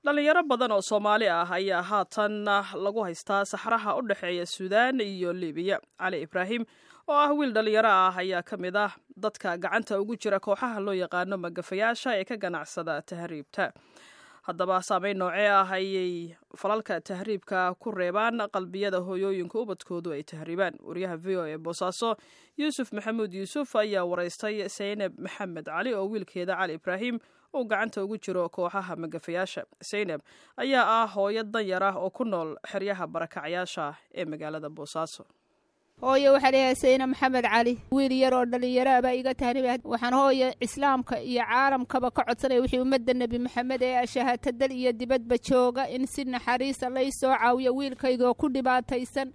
Dhalinyaro badan oo Soomaali ah ayaa haatan lagu haystaa saxraha u dhexeeya Suudaan iyo Libiya. Cali Ibraahim oo ah wiil dhalinyaro ah ayaa ka mid ah dadka gacanta ugu jira kooxaha loo yaqaano magafayaasha ee ka ganacsada tahriibta. Haddaba saameyn noocee ah ayay falalka tahriibka ku reebaan qalbiyada hooyooyinka ubadkoodu ay tahriibaan? Wariyaha VOA ee Boosaaso, Yuusuf Maxamuud Yuusuf, ayaa waraystay Saynab Maxamed Cali oo wiilkeeda Cali Ibraahim uu gacanta ugu jiro kooxaha magafayaasha. Saynab ayaa ah hooyo danyar ah oo ku nool xeryaha barakacyaasha ee magaalada Boosaaso. Hooye, waxaa leeyahay Sayna Maxamed Cali, wiil yar oo dhallinyaro baa iga tahriiba. Waxaan, hooye, islaamka iyo caalamkaba ka codsanaya wixii ummadda Nebi Maxamed ee ashahaata dal iyo dibadba jooga in si naxariisa lay soo caawiyo wiilkaygoo ku dhibaataysan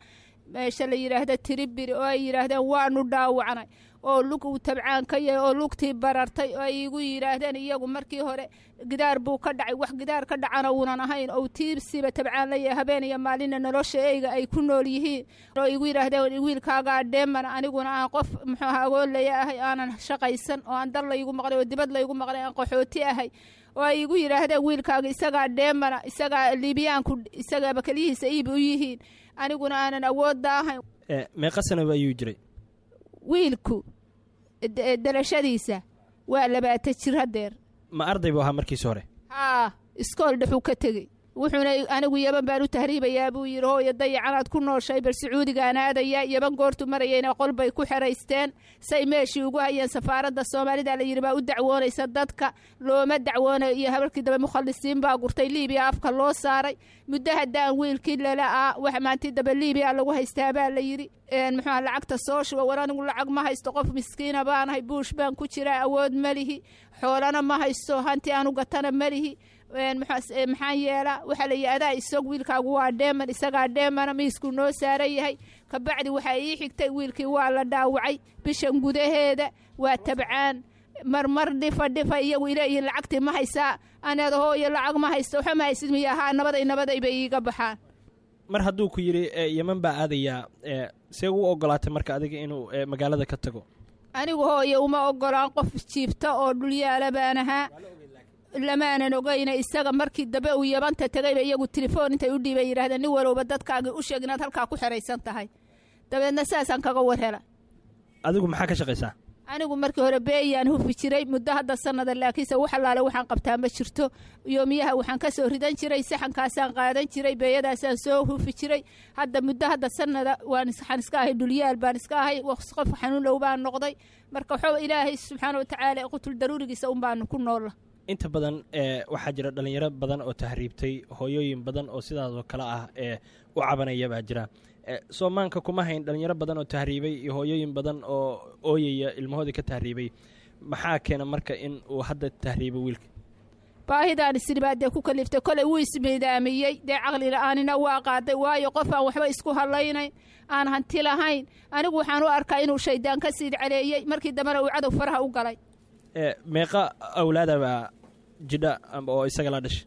meesha la yidhaahda Tiribiri, oo ay yidhaahdeen waanu dhaawacnay oo lug uu tabcaan ka yahay oo lugtii barartay, oo ay igu yidhaahdeen iyagu markii hore gidaar buu ka dhacay. Wax gidaar ka dhacana uunan ahayn ou tiibsiba tabcaan la yahay, habeen iyo maalinna nolosha eyga ay ku nool yihiin, oo igu yidhaahdeen wiilkaagaa dheeman. Aniguna aan qof muxuu aha agoolaya ahay, aanan shaqaysan, oo aan dal laygu maqlay oo dibad laygu maqlay, aan qaxooti ahay, oo ay igu yidhaahdeen wiilkaaga isagaa dheemana, isagaa Liibiyaanku isagaaba keliyihiisa iib u yihiin, aniguna aanan awoodda ahayn. Meeqa sanaba ayuu jiray? Wiilku dalashadiisa waa 20 jir hadeer. Ma arday buu ahaa markiisi hore? Haa, iskool dhexuu ka tegey. Wuxuuna anigu Yaban baan u tahriibayaa buu yidhi. Hooyo, dayacanaad ku nooshay, bal Sacuudigaan aadayaa. Yaban goortu marayayna qol bay ku xeraysteen, say meeshii ugu hayeen. Safaaradda Soomaalida la yidhi baa u dacwoonaysa, dadka looma dacwoonayo. Iyo habarkii dambe mukhalisiin baa gurtay, Liibiya afka loo saaray. Muddo haddaan wiilkii lala'aa, wax maantii dambe Liibiya lagu haystaa baa la yidhi. Muxuuha lacagta soo shuba. War, anigu lacag ma haysto, qof miskiina baanahay, buush baan ku jiraa, awood ma lihi, xoolana ma haysto, hanti aanu gatana ma lihi. Maxaan yeelaa? Waxaa la yidhi adaa isag, wiilkaagu waa dheeman, isagaa dheemana, miiskuu noo saaran yahay. Kabacdi waxaa ii xigtay wiilkii waa la dhaawacay bishan gudaheeda, waa tabcaan, marmar dhifa dhifa iyagu ileeyihiin lacagtii ma haysaa. Aneeda hooyo lacag ma haysto, waxa ma haysid miya? Haa, nabaday nabaday bay iiga baxaan. Mar hadduu ku yidhi Yeman baa aadayaa, see u ogolaatay marka adiga inuu magaalada ka tago? Anigu, hooye, uma ogolaan, qof jiifta oo dhulyaala baan ahaa, lamaanan ogeyna. Isaga markii dambe uu Yabanta tegayba iyagu telefoon intay u dhiibay yidhahdeen nin walowba dadkaagii u sheeg inaad halkaa ku xeraysan tahay. Dabeedna saasaan kaga war hela. Adigu maxaa ka shaqaysaa? Anigu markii hore beeyaan hufi jiray muddo hadda sanada, laakiinse wax allaale waxaan qabtaa ma jirto. Yoomiyaha waxaan ka soo ridan jiray saxankaasaan qaadan jiray, beeyadaasaan soo hufi jiray. Hadda muddo hadda sanada waan waxaan iska ahay dhulyaal baan iska ahay, qof xanuun low baan noqday. Marka waxaa Ilaahay subxaana watacaala qutul daruurigiisa un baanu ku noolla. Inta badan waxaa jira dhalinyaro badan oo tahriibtay, hooyooyin badan oo sidaasoo kale ah ee u cabanaya baa jira. Soomaanka kuma hayn dhalinyaro badan oo tahriibay iyo hooyooyin badan oo ooyaya ilmahoodii ka tahriibay. Maxaa keena marka in uu hadda tahriibo wiilka? Baahidaan isiribaa dee ku kaliftay. Kolay wuu ismiidaamiyey dee, caqli la-aanina waa qaaday, waayo qof aan waxba isku hadlaynayn, aan hanti lahayn, anigu waxaan u arkaa inuu shaydaan ka siid caleeyey, markii dambena uu cadow faraha u galay. Meeqa awlaada baa jidha oo isaga la dhashay?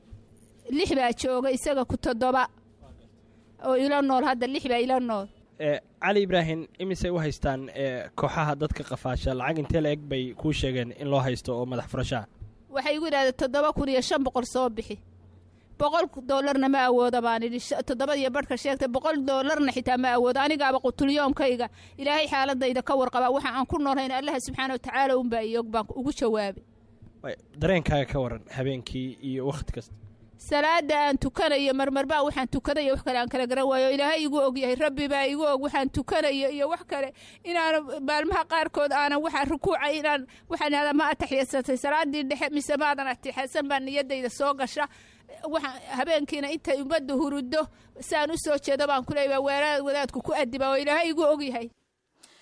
Lix baa jooga, isaga ku 7 oo ila nool hadda, lix baa ila nool. Cali Ibraahim imisay u haystaan kooxaha dadka qafaasha? Lacag intee la eg bay kuu sheegeen in loo haysto oo madax furashaa? Waxay igu yidhahdeen 7500 soo bixi. $100na ma awooda baan idhi. Toddobadiyo barhka sheegtay, $100na xitaa ma awoodo. Anigaaba qutulyoomkayga Ilaahay xaaladayda ka warqabaa, waxa aan ku noolhayn Allaha subxaana watacaala unbaa iyog baan ugu jawaabay. Dareenkaaga ka waran habeenkii iyo wakhti kasta? Salaada aan tukanayo marmarbaa waxaan tukanayo wax kale aan kala garan waayo. Ilaahay igu og yahay, Rabbi baa igu og waxaan tukanayo iyo wax kale inaan maalmaha qaarkood aanan waxaan rukuucay inaan waxaan ihahdaa ma ataxiyadsatay salaadii dhexe mise maadan atixiyadsan baa niyadayda soo gasha. Waxaan habeenkiina intay ummadda hurudo saan u soo jeedo baan ku leeyahay wadaadku ku adiba oo Ilaahay igu og yahay.